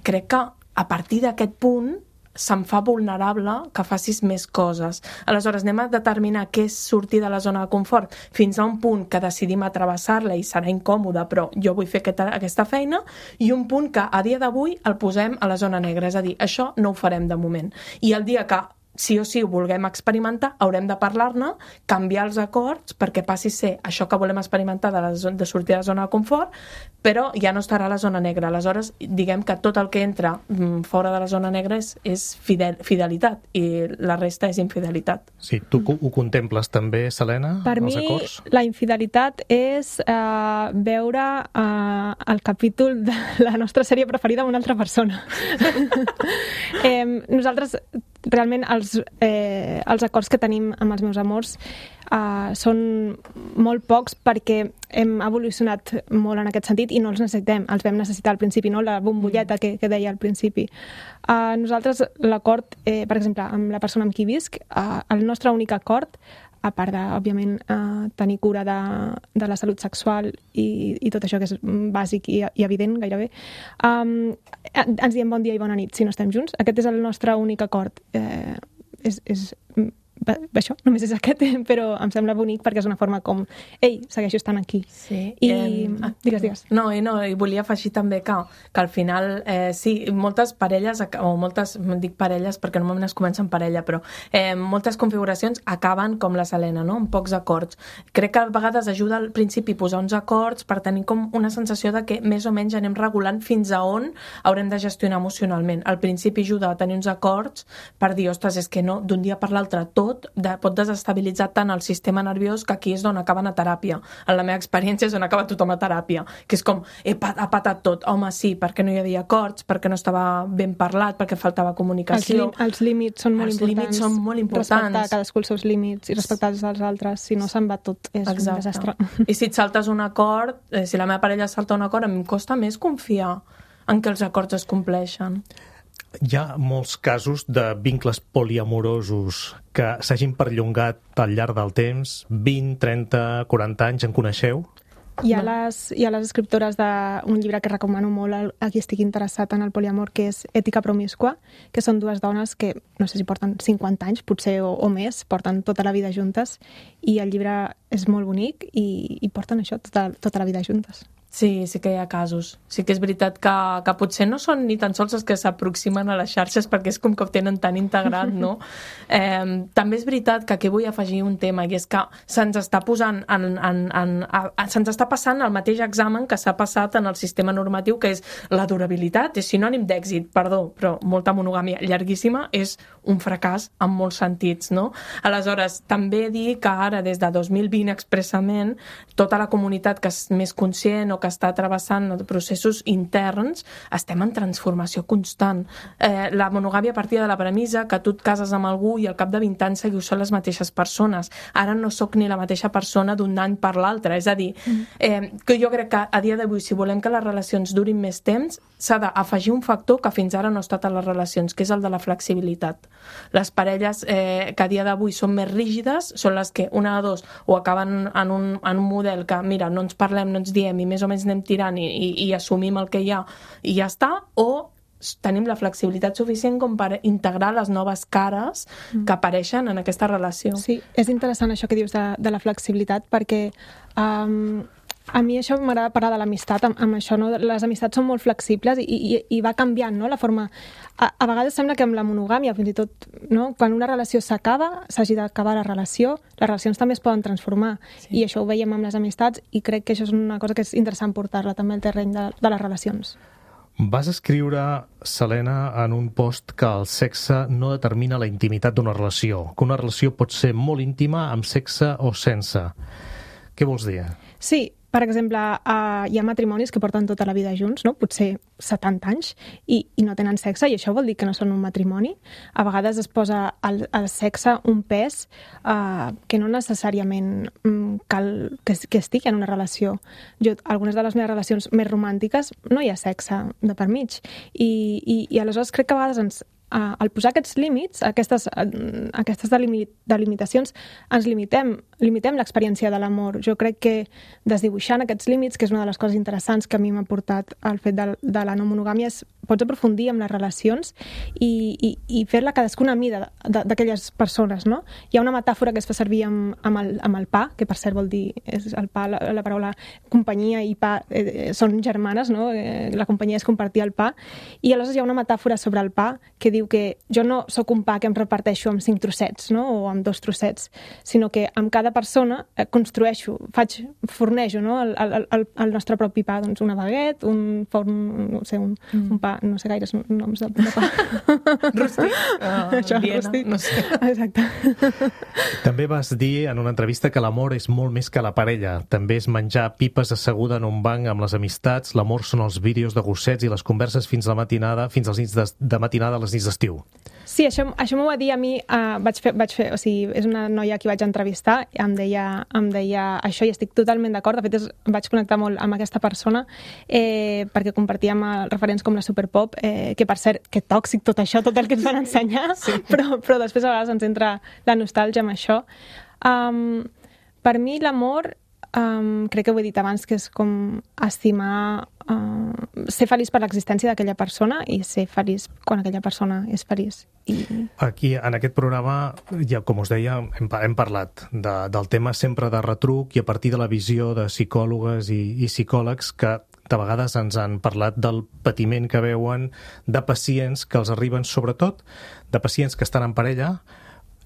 C: crec que a partir d'aquest punt se'm fa vulnerable que facis més coses. Aleshores, anem a determinar què és sortir de la zona de confort fins a un punt que decidim atravessar-la i serà incòmode, però jo vull fer aquesta, aquesta feina, i un punt que a dia d'avui el posem a la zona negra. És a dir, això no ho farem de moment. I el dia que sí o sí ho vulguem experimentar, haurem de parlar-ne, canviar els acords perquè passi a ser això que volem experimentar de, la zona, de sortir de la zona de confort, però ja no estarà a la zona negra. Aleshores, diguem que tot el que entra fora de la zona negra és, és fidel, fidelitat i la resta és infidelitat.
B: Sí, tu ho contemples també, Selena,
D: per
B: els
D: mi,
B: acords?
D: La infidelitat és uh, veure uh, el capítol de la nostra sèrie preferida amb una altra persona. eh, nosaltres, realment, els, eh, els acords que tenim amb els meus amors uh, són molt pocs perquè hem evolucionat molt en aquest sentit i no els necessitem, els vam necessitar al principi, no? La bombolleta que, que deia al principi. Uh, nosaltres, l'acord, eh, per exemple, amb la persona amb qui visc, uh, el nostre únic acord, a part de, òbviament, eh, tenir cura de, de la salut sexual i, i tot això que és bàsic i, i evident gairebé, um, ens diem bon dia i bona nit si no estem junts. Aquest és el nostre únic acord. Eh, és, és això, només és aquest, però em sembla bonic perquè és una forma com, ei, segueixo estant aquí.
C: Sí.
D: I,
C: eh,
D: digues, digues.
C: No, i no, i volia afegir també que, que al final, eh, sí, moltes parelles, o moltes, dic parelles perquè normalment es comença en parella, però eh, moltes configuracions acaben com la Selena, no?, amb pocs acords. Crec que a vegades ajuda al principi posar uns acords per tenir com una sensació de que més o menys anem regulant fins a on haurem de gestionar emocionalment. Al principi ajuda a tenir uns acords per dir, ostres, és que no, d'un dia per l'altre tot de, pot desestabilitzar tant el sistema nerviós que aquí és on acaben a teràpia. En la meva experiència és on acaba tothom a teràpia, que és com, he pat, ha patat tot. Home, sí, perquè no hi havia acords, perquè no estava ben parlat, perquè faltava comunicació.
D: Els, els límits són molt
C: els
D: importants.
C: Els límits són molt importants.
D: Respectar cadascú els seus límits i respectar els dels altres, si no se'n va tot, és Exacte. Un desastre.
C: I si et saltes un acord, eh, si la meva parella salta un acord, a mi em costa més confiar en que els acords es compleixen.
B: Hi ha molts casos de vincles poliamorosos que s'hagin perllongat al llarg del temps, vint, trenta, quaranta anys, en coneixeu?
D: Hi ha, les, hi ha les escriptores d'un llibre que recomano molt a qui estigui interessat en el poliamor, que és Ètica promíscua, que són dues dones que, no sé si porten cinquanta anys, potser o, o més, porten tota la vida juntes, i el llibre és molt bonic i, i porten això tota, tota la vida juntes.
C: Sí, sí que hi ha casos. Sí que és veritat que, que potser no són ni tan sols els que s'aproximen a les xarxes perquè és com que ho tenen tan integrat, no? Eh, també és veritat que aquí vull afegir un tema i és que se'ns està posant en, en, en, en, se'ns està passant el mateix examen que s'ha passat en el sistema normatiu, que és la durabilitat, és sinònim d'èxit, perdó, però molta monogàmia llarguíssima és un fracàs en molts sentits, no? Aleshores, també dir que ara, des de dos mil vint expressament, tota la comunitat que és més conscient o que està travessant processos interns, estem en transformació constant. Eh, la monogàmia partia de la premissa que tu et cases amb algú i al cap de vint anys seguiu sent les mateixes persones. Ara no sóc ni la mateixa persona d'un any per l'altre. És a dir, eh, que jo crec que a dia d'avui, si volem que les relacions durin més temps, s'ha d'afegir un factor que fins ara no ha estat a les relacions, que és el de la flexibilitat. Les parelles eh, que a dia d'avui són més rígides són les que una de dos o acaben en un, en un model que, mira, no ens parlem, no ens diem i més o menys anem tirant i, i, i assumim el que hi ha i ja està, o tenim la flexibilitat suficient com per integrar les noves cares que apareixen en aquesta relació.
D: Sí, és interessant això que dius de, de la flexibilitat perquè um, a mi això m'agrada parlar de l'amistat, amb, amb això, no? Les amistats són molt flexibles i, i, i va canviant, no? La forma... A, a vegades sembla que amb la monogàmia, fins i tot, no? Quan una relació s'acaba, s'hagi d'acabar la relació, les relacions també es poden transformar. Sí. I això ho veiem amb les amistats i crec que això és una cosa que és interessant portar-la també al terreny de, de les relacions.
B: Vas escriure, Selena, en un post que el sexe no determina la intimitat d'una relació, que una relació pot ser molt íntima amb sexe o sense. Què vols dir?
D: Sí, per exemple, uh, hi ha matrimonis que porten tota la vida junts, no? Potser setanta anys, i, i no tenen sexe, i això vol dir que no són un matrimoni. A vegades es posa al, al sexe un pes uh, que no necessàriament um, cal que, que estigui en una relació. Jo, algunes de les meves relacions més romàntiques no hi ha sexe de per mig, i, i, i aleshores crec que a vegades ens Uh, al posar aquests límits, aquestes, uh, aquestes delimit delimitacions, ens limitem, limitem l'experiència de l'amor. Jo crec que desdibuixant aquests límits, que és una de les coses interessants que a mi m'ha portat al fet de, de la no monogàmia, és pots aprofundir en les relacions i, i, i fer-la cadascuna a mida d'aquelles persones, no? Hi ha una metàfora que es fa servir amb, amb, el, amb el pa, que per cert vol dir, és el pa, la, la paraula companyia i pa eh, són germanes, no? Eh, la companyia és compartir el pa, i aleshores hi ha una metàfora sobre el pa que diu que jo no sóc un pa que em reparteixo amb cinc trossets, no? O amb dos trossets, sinó que amb cada persona construeixo, faig, fornejo, no? el, el, el, el nostre propi pa, doncs una baguette, un forn, no sé, un, mm. un pa, no sé gaires noms de, de pa.
C: Rústic? Uh,
D: Això,
C: Viena,
D: rústic.
C: no sé.
D: Exacte.
B: També vas dir en una entrevista que l'amor és molt més que la parella. També és menjar pipes asseguda en un banc amb les amistats, l'amor són els vídeos de gossets i les converses fins la matinada, fins als nits de, de matinada a les nits d'estiu.
D: Sí, això, això m'ho va dir a mi, uh, vaig fer, vaig fer, o sigui, és una noia a qui vaig entrevistar, em deia, em deia això i estic totalment d'acord. De fet, és, vaig connectar molt amb aquesta persona eh, perquè compartíem referents com la Superpop, eh, que per cert, que tòxic tot això, tot el que ens van ensenyar, sí. però, però després a vegades ens entra la nostàlgia amb això. Um, per mi l'amor, um, crec que ho he dit abans, que és com estimar, uh, ser feliç per l'existència d'aquella persona i ser feliç quan aquella persona és feliç. I...
B: Aquí, en aquest programa, ja com us deia, hem, hem parlat de, del tema sempre de retruc i a partir de la visió de psicòlogues i, i psicòlegs que de vegades ens han parlat del patiment que veuen de pacients que els arriben, sobretot de pacients que estan en parella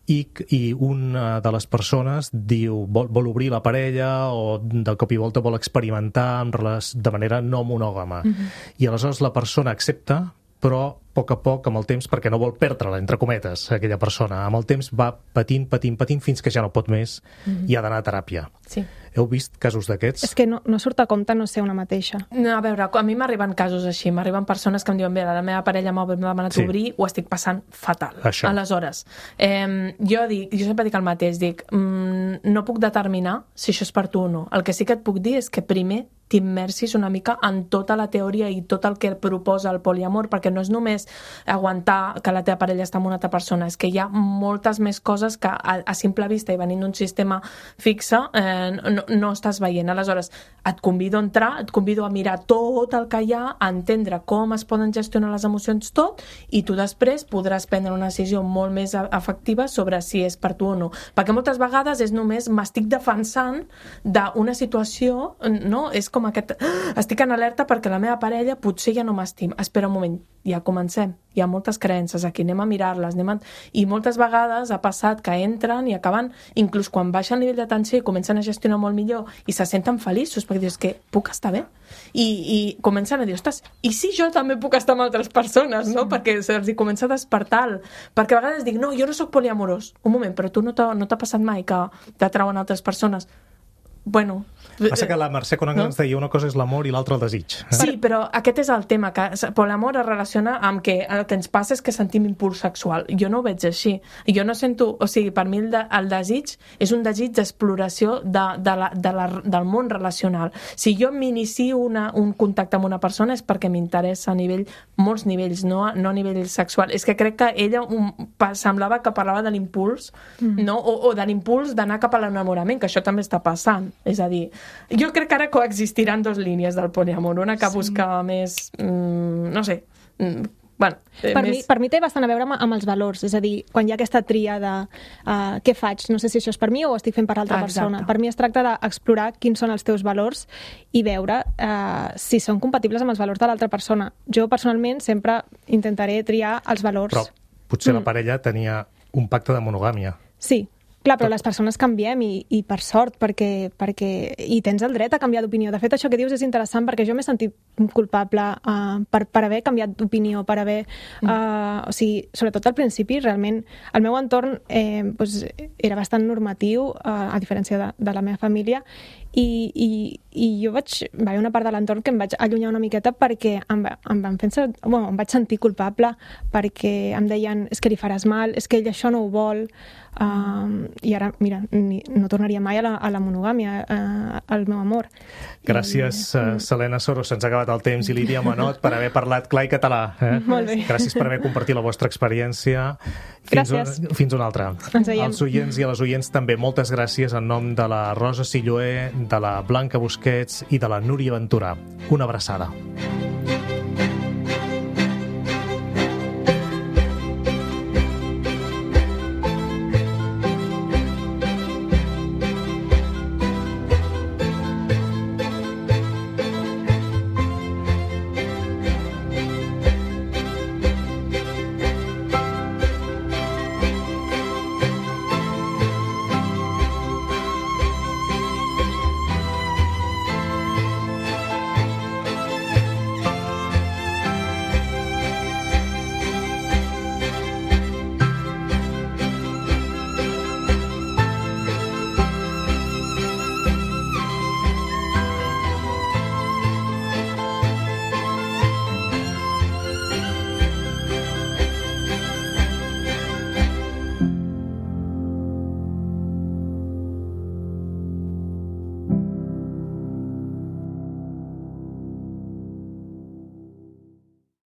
B: i, i una de les persones diu, vol, vol obrir la parella o de cop i volta vol experimentar amb les, de manera no monògama. Mm-hmm. I aleshores la persona accepta, però a poc a poc, amb el temps, perquè no vol perdre-la, entre cometes, aquella persona. Amb el temps va patint, patint, patint, fins que ja no pot més mm-hmm. i ha d'anar a teràpia.
C: Sí.
B: Heu vist casos d'aquests?
D: És que no, no surt a compte no ser una mateixa.
C: No, a veure, a mi m'arriben casos així, m'arriben persones que em diuen, bé, la meva parella m'ha demanat sí. obrir, ho estic passant fatal.
B: Això.
C: Aleshores, eh, jo dic, jo sempre dic el mateix, dic, mm, no puc determinar si això és per tu o no. El que sí que et puc dir és que primer t'immersis una mica en tota la teoria i tot el que proposa el poliamor, perquè no és només només aguantar que la teva parella està amb una altra persona, és que hi ha moltes més coses que a, a simple vista i venint d'un sistema fixe eh, no, no estàs veient. Aleshores, et convido a entrar, et convido a mirar tot el que hi ha, a entendre com es poden gestionar les emocions tot, i tu després podràs prendre una decisió molt més efectiva sobre si és per tu o no. Perquè moltes vegades és només m'estic defensant d'una situació, no? És com aquest... Estic en alerta perquè la meva parella potser ja no m'estima. Espera un moment, ja comencem. Hi ha moltes creences aquí, anem a mirar-les. Anem a... I moltes vegades ha passat que entren i acaben, inclús quan baixa el nivell de tensió i comencen a gestionar molt millor i se senten feliços perquè dius que puc estar bé. I, i comencen a dir, ostres, i si jo també puc estar amb altres persones, no? Sí. Perquè se'ls hi comença a despertar. Perquè a vegades dic, no, jo no sóc poliamorós. Un moment, però tu no t'ha no t'ha passat mai que t'atrauen altres persones? Bueno...
B: Passa que la Mercè Conanga no? ens deia una cosa és l'amor i l'altra el desig. Eh?
C: Sí, però aquest és el tema, que poliamor es relaciona amb que el que ens passa és que sentim impuls sexual. Jo no ho veig així. Jo no sento... O sigui, per mi el, de, el desig és un desig d'exploració de, de la, de la, del món relacional. Si jo m'inicio una, un contacte amb una persona és perquè m'interessa a nivell, molts nivells, no, no a nivell sexual. És que crec que ella um, semblava que parlava de l'impuls, mm. no? o, o de l'impuls d'anar cap a l'enamorament, que això també està passant. És a dir, jo crec que ara coexistiran dos línies del poliamor, una que sí. busca més, mm, no sé, mm, bueno... Eh,
D: per,
C: més...
D: mi, per mi té bastant a veure amb, amb els valors, és a dir, quan hi ha aquesta tria de uh, què faig, no sé si això és per mi o ho estic fent per l'altra persona. Per mi es tracta d'explorar quins són els teus valors i veure uh, si són compatibles amb els valors de l'altra persona. Jo personalment sempre intentaré triar els valors.
B: Però potser
D: mm.
B: la parella tenia un pacte de monogàmia.
D: Sí. Clar, però les persones canviem i, i per sort, perquè, perquè i tens el dret a canviar d'opinió. De fet, això que dius és interessant perquè jo m'he sentit culpable uh, per, per haver canviat d'opinió, per haver... Uh, o sigui, sobretot al principi, realment, el meu entorn eh, doncs, era bastant normatiu, uh, a diferència de, de la meva família, i, i, i jo vaig... Va haver una part de l'entorn que em vaig allunyar una miqueta perquè em, em, van fer, bueno, em vaig sentir culpable perquè em deien és que li faràs mal, és que ell això no ho vol... Uh, i ara, mira, ni, no tornaria mai a la, a la monogàmia, uh, al meu amor.
B: Gràcies, I... uh, Selena Soro, se'ns ha acabat el temps, i Lídia Manot, per haver parlat clar i català. Eh?
D: Molt bé.
B: Gràcies per haver compartit la vostra experiència. Fins
D: gràcies.
B: Un, fins una altra.
D: Ens veiem.
B: Als oients i a les oients també moltes gràcies en nom de la Rosa Silloé, de la Blanca Busquets i de la Núria Ventura. Una abraçada.